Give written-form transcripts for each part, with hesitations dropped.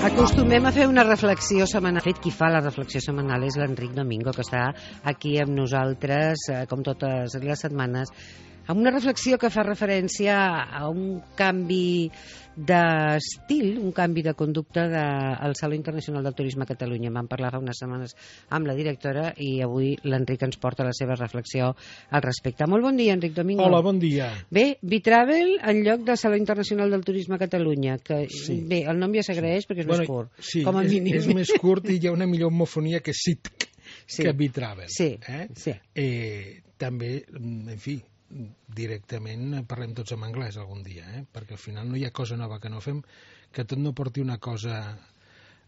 Acostumem a fer una reflexió setmanal. De fet, qui fa la reflexió setmanal és l'Enric Domingo, que està aquí amb nosaltres, com totes les setmanes, amb una reflexió que fa referència a un canvi d'estil, un canvi de conducta del Saló Internacional del Turisme a Catalunya. Vam parlar fa unes setmanes amb la directora i avui l'Enric ens porta la seva reflexió al respecte. Molt bon dia, Enric Domingo. Hola, bon dia. Bé, Vitravel en lloc del Saló Internacional del Turisme a Catalunya, que Sí. Bé, el nom ja s'agraeix perquè és més curt. Sí, com a mínim. és més curt i hi ha una millor homofonia que SITC, Sí. que Vitravel. Sí, sí. També, en fi, directament parlem tots en anglès algun dia, perquè al final no hi ha cosa nova que no fem, que tot no porti una cosa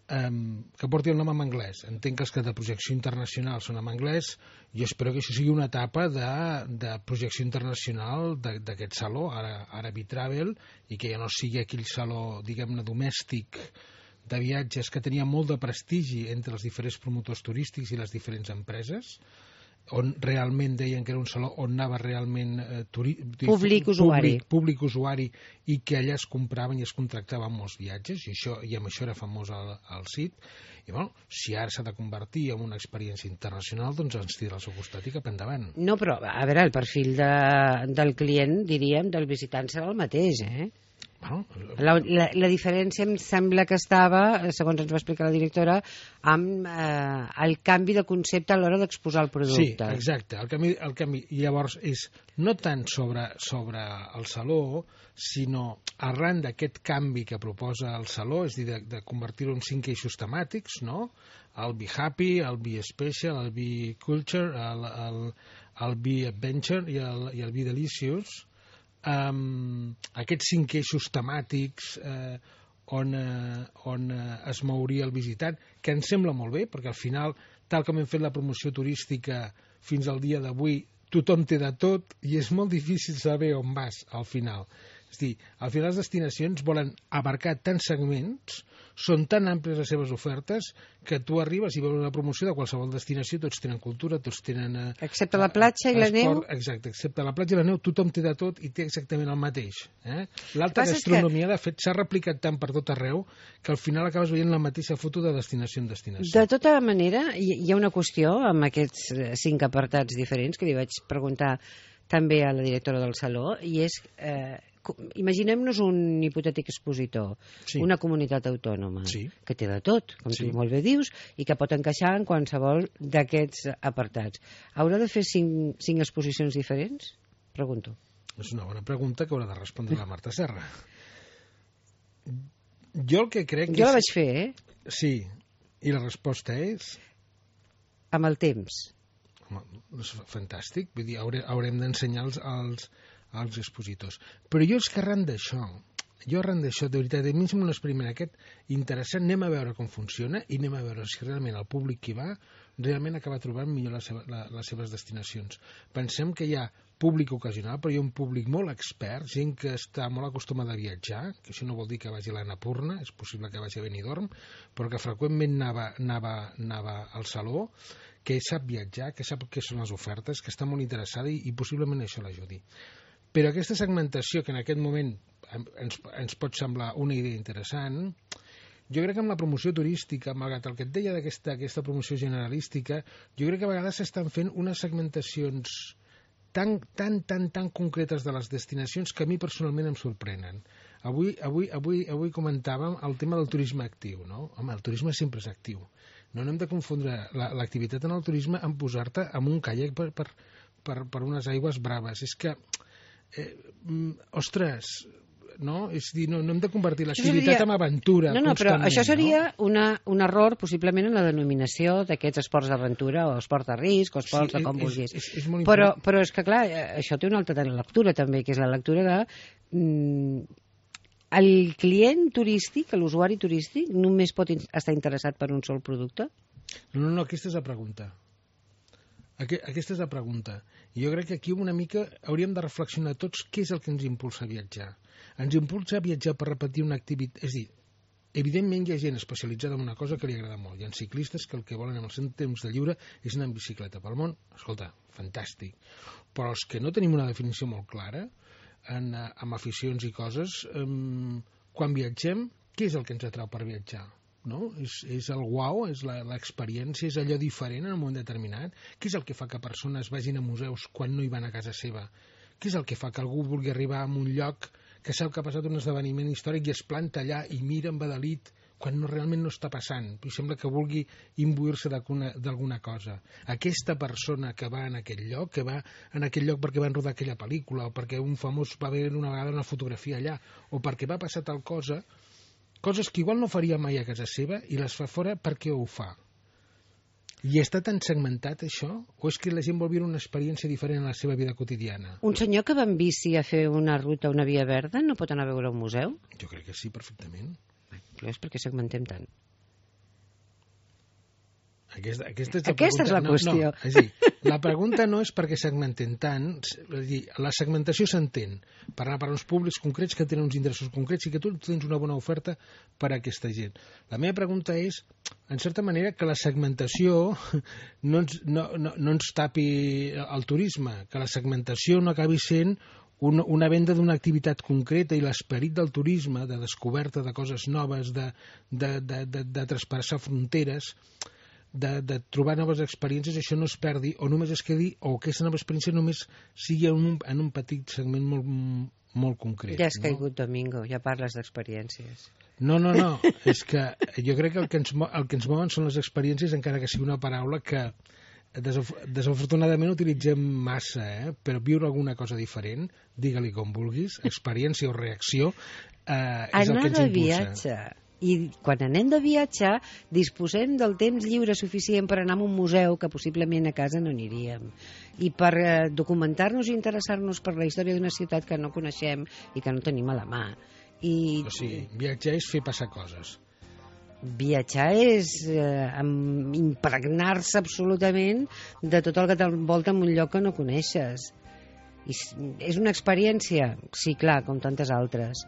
que porti el nom en anglès. Entenc que els que de projecció internacional són en anglès. Jo espero que això sigui una etapa de projecció internacional d'aquest saló, ara Vitravel, i que ja no sigui aquell saló, diguem-ne, domèstic de viatges que tenia molt de prestigi entre els diferents promotors turístics i les diferents empreses, on realment deien que era un saló on anava realment Públic usuari i que allà es compraven i es contractaven molts viatges i amb això era famós el CIT. I bueno, si ara s'ha de convertir en una experiència internacional, doncs ens tira al seu costat i cap endavant. No, però a veure, el perfil del client, diríem, del visitant serà el mateix, Bueno, La diferència em sembla que estava, segons ens va explicar la directora, amb el canvi de concepte a l'hora d'exposar el producte. Sí, exacte. El canvi llavors és no tant sobre el saló, sinó arran d'aquest canvi que proposa el saló, és a dir, de convertir-ho en 5 eixos temàtics, no? El Be Happy, el Be Special, el Be Culture, el Be Adventure i el Be Delicious. Aquests 5 eixos temàtics on es mouria el visitant, que em sembla molt bé, perquè al final, tal com hem fet la promoció turística fins al dia d'avui, tothom té de tot i és molt difícil saber on vas al final. És a dir, al final les destinacions volen abarcar tants segments, són tan àmplies les seves ofertes, que tu arribes i veus una promoció de qualsevol destinació, tots tenen cultura, tots tenen... Excepte la platja i la neu? Exacte, excepte la platja i la neu, tothom té de tot i té exactament el mateix. L'alta gastronomia, de fet, s'ha replicat tant per tot arreu que al final acabes veient la mateixa foto de destinació en destinació. De tota manera, hi ha una qüestió amb aquests 5 apartats diferents que li vaig preguntar també a la directora del Saló, i és... imaginem-nos un hipotètic expositor, Sí. una comunitat autònoma, Sí. que té de tot, com Sí. tu molt bé dius, i que pot encaixar en qualsevol d'aquests apartats. Haurà de fer 5 exposicions diferents? Pregunto. És una bona pregunta que haurà de respondre la Marta Serra. Jo el que crec... Jo la vaig fer, Sí, i la resposta és... amb el temps. Home, és fantàstic, vull dir, haurem d'ensenyar als expositors. Però jo és que arran d'això, de veritat, a mi em sembla un experiment aquest interessant, anem a veure com funciona i anem a veure si realment el públic que hi va realment acaba trobant millor les seves destinacions. Pensem que hi ha públic ocasional, però hi ha un públic molt expert, gent que està molt acostumada a viatjar, que això no vol dir que vagi a l'Annapurna, és possible que vagi a Benidorm, però que freqüentment anava al saló, que sap viatjar, que sap què són les ofertes, que està molt interessada i possiblement això l'ajudi. Però aquesta segmentació, que en aquest moment ens pot semblar una idea interessant, jo crec que amb la promoció turística, malgrat el que et deia d'aquesta promoció generalística, jo crec que a vegades s'estan fent unes segmentacions tan concretes de les destinacions que a mi personalment em sorprenen. Avui comentàvem el tema del turisme actiu, no? Home, el turisme sempre és actiu. No hem de confondre l'activitat en el turisme amb posar-te en un caiac per unes aigües braves. És que, ostres, no? És dir, no hem de convertir l'activitat en aventura. No, però això seria un error possiblement en la denominació d'aquests esports d'aventura o esport de risc o esports de com vulguis. És molt important. Però és que, clar, això té una altra lectura també, que és la lectura de... El client turístic, l'usuari turístic, només pot estar interessat per un sol producte? No, aquesta és la pregunta. Aquesta és la pregunta. I jo crec que aquí una mica hauríem de reflexionar tots què és el que ens impulsa a viatjar. Ens impulsa a viatjar per repetir una activitat... És a dir, evidentment hi ha gent especialitzada en una cosa que li agrada molt. Hi ha ciclistes que el que volen en el seu temps de lliure és anar en bicicleta pel món. Escolta, fantàstic. Però els que no tenim una definició molt clara, amb aficions i coses, quan viatgem, què és el que ens atrau per viatjar? no? És el uau, és l'experiència, és allò diferent en un moment determinat. Què és el que fa que persones vagin a museus quan no hi van a casa seva? Què és el que fa que algú vulgui arribar a un lloc que sap que ha passat un esdeveniment històric i es planta allà i mira embadalit quan realment no està passant? I sembla que vulgui imbuir-se d'alguna cosa. Aquesta persona que va en aquell lloc, que va en aquell lloc perquè van rodar aquella pel·lícula, o perquè un famós va veure una vegada una fotografia allà, o perquè va passar tal cosa, coses que igual no faria mai a casa seva i les fa fora perquè ho fa. I està tan segmentat això? O és que la gent vol viure una experiència diferent a la seva vida quotidiana? Un senyor que va en bici a fer una ruta a una via verda no pot anar a veure un museu? Jo crec que sí, perfectament. Però és perquè segmentem tant. Aquesta és la qüestió. No, és a dir, la pregunta no és perquè segmentem tant, és a dir, la segmentació s'entén per anar per uns públics concrets que tenen uns interessos concrets i que tu tens una bona oferta per a aquesta gent. La meva pregunta és, en certa manera, que la segmentació no ens tapi el turisme, que la segmentació no acabi sent una venda d'una activitat concreta i l'esperit del turisme, de descoberta de coses noves, de traspassar fronteres, de trobar noves experiències, això no es perdi o només es quedi, o aquesta nova experiència només sigui en un petit segment molt concret. Ja has caigut, Domingo, ja parles d'experiències. No, és que jo crec que el que ens mouen són les experiències, encara que sigui una paraula que desafortunadament utilitzem massa, però viure alguna cosa diferent, digue-li com vulguis, experiència o reacció, és el que ens impulsa. Viatge. I quan anem de viatge disposem del temps lliure suficient per anar a un museu que possiblement a casa no aniríem, i per documentar-nos i interessar-nos per la història d'una ciutat que no coneixem i que no tenim a la mà. O sigui, viatjar és fer passar coses. Viatjar és impregnar-se absolutament de tot el que t'envolta en un lloc que no coneixes. És una experiència? Sí, clar, com tantes altres.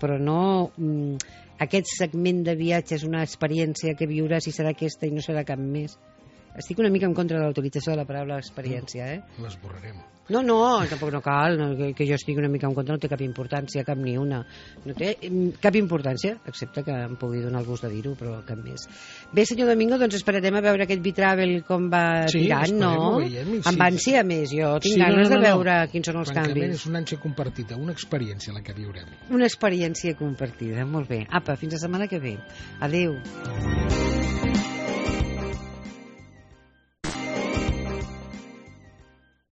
Però no... Aquest segment de viatge és una experiència que viuràs i serà aquesta i no serà cap més. Estic una mica en contra de l'utilització de la paraula experiència, L'esborrarem. No, tampoc no cal, que jo estigui una mica en contra, no té cap importància, cap ni una. No té cap importància, excepte que em pugui donar el gust de dir-ho, però cap més. Bé, senyor Domingo, doncs esperarem a veure aquest Vitravel com va tirant, no? Amb ànsia més, jo tinc ganes de veure quins són els canvis. És una ànsia compartida, una experiència la que viurem. Una experiència compartida, molt bé. Apa, fins la setmana que ve. Adéu.